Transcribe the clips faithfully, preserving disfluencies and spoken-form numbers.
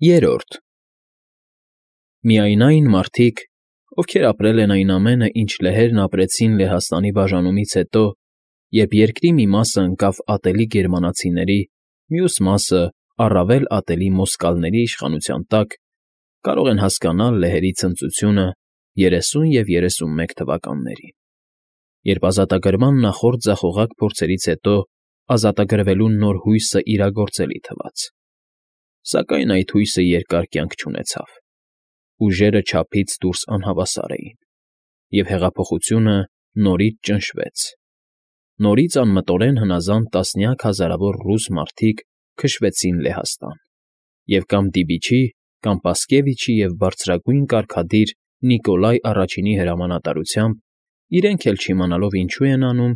Երրորդ Միայն այն մարդիկ, ովքեր ապրել են այն ամենը, ինչ լեհերն ապրեցին Լեհաստանի բաժանումից հետո, երբ երկրի մի մասն ընկավ ատելի գերմանացիների, մյուս մասը՝ առավել ատելի մոսկալների իշխանության տակ, կարող են հասկանալ լեհերի ցնծությունը երեսուն և երեսունմեկ թվականներին, երբ ազատագրման նախորդ ձախողակ փորձերից հետո ազատագրվելու նոր հույսը իրագործելի թվաց, սակայն այդ հույսը երկար կյանք չունեցավ, ուժերը չափից դուրս անհավասար էին, և հեղափոխությունը նորից ճնշվեց, նորից անմտորեն հնազանդ տասնյակ հազարավոր ռուս մարդիկ քշվեցին Լեհաստան, և կամ Դիբիչի, կամ Պասկևիչի և բարձրագույն կարգադիր Նիկոլայ Առաջինի հրամանատարությամբ, իրենք էլ չիմանալով ինչու են անում,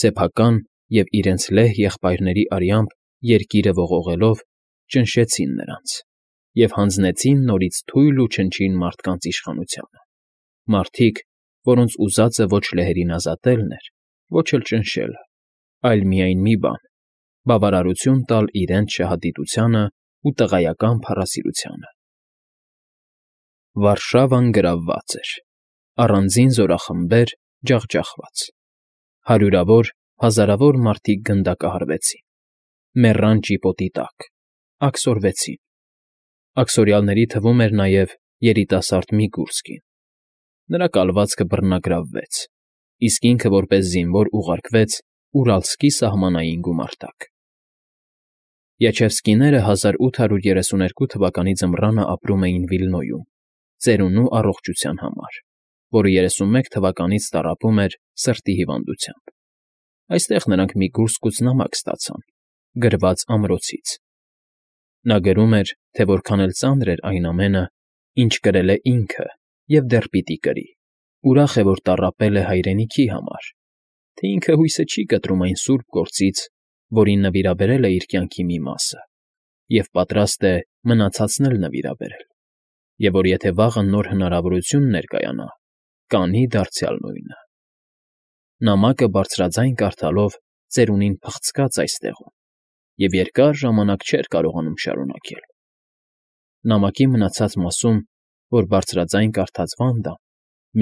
սեփական և իրենց լեհ եղբայրների արյամբ երկիրը ողողելով, ճնշեցին նրանց և հանձնեցին նորից թույլ ու չնչին մարդկանց իշխանությանը, մարդիկ, որոնց ուզածը ոչ լեհերին ազատելն էր, ոչ էլ ճնշելը, այլ միայն մի բան՝ բավարարություն տալ իրենց շահադիտությանն ու տղայական փառասիրությանը։ Վարշավան գրավված էր, առանձին զորախմբեր ջախջախված, հարյուրավոր, հազարավոր մարդիկ գնդակահարվեցին, մեռան ճիպոտի տակ, աքսորվեցին, աքսորյալների թվում էր նաև երիտասարդ Միգուրսկին, նրա կալվածքը բռնագրավվեց, իսկ ինքը որպես զինվոր ուղարկվեց Ուրալսկի սահմանային գումարտակ։ Յաչևսկիները հազար ութ հարյուր երեսուներկու թվականի ձմռանը ապրում էին Վիլնոյում, ծերունու առողջության համար, որը երեսունմեկ թվականից տառապում էր սրտի հիվանդությամբ։ Այստեղ նրանք Միգուրսկուց նամակ ստացան, գրված ամրոցից։ Նա գրում էր, թե որքան էլ ծանր էր այն ամենը, ինչ կրել է ինքը և դեռ պիտի կրի, ուրախ է, որ տառապել է հայրենիքի համար, թե ինքը հույսը չի կտրում այն սուրբ գործից, որին նվիրաբերել է իր կյանքի մի մասը, և պատրաստ է մնացածն էլ նվիրաբերել, և որ եթե վաղը նոր հնարավորություն ներկայանա, կանի դարձյալ նույնը։ Նամակը բարձրաձայն կարդալով ծերունին փխցկաց այստեղում և երկար ժամանակ չէր կարողանում շարունակել։ Նամակի մնացած մասում, որ բարձրաձայն կարդաց Վանդան,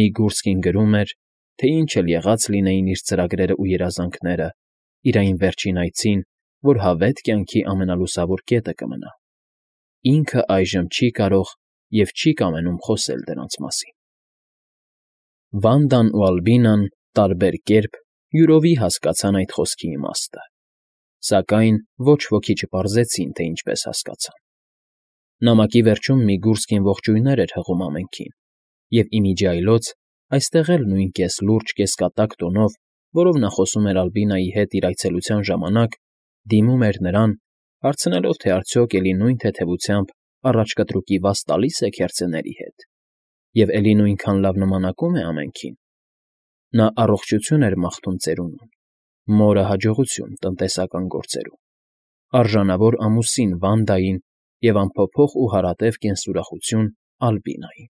Միգուրսկին գրում էր, թե ինչ էլ եղած լինեին իր ծրագրերն ու երազանքները, իր այն վերջին այցին, որ հավետ կյանքի ամենալուսավոր կետը կմնա, ինքը այժմ չի կարող և չի կամենում խոսել դրանց մասին։ Վանդան ու Ալբինան տարբեր կերպ յուրովի հասկացան այդ խոսքի իմաստը, սակայն ոչ ոքի չպարզեցին, թե ինչպես հասկացան։ Նամակի վերջում Միգուրսկին ողջույններ էր հղում ամենքին, և ի միջի այլոց այստեղ էլ նույն կես֊լուրջ, կես֊կատակ տոնով, որով նա խոսում էր Ալբինայի հետ իր այցելության ժամանակ, դիմում էր նրան, հարցնելով, թե արդյոք էլի նույն թեթևությամբ առաջ կտրուկի վազ տալի՞ս է քերծեների հետ, և էլի նույնքան լավ նմանակում է ամենքին։ Նա առողջություն էր մաղթում ծերունուն, մորը հաջողություն տնտեսական գործերում, արժանավոր ամուսին Վանդային և անփոփոխ ու հարատև կենսուրախություն Ալբինային։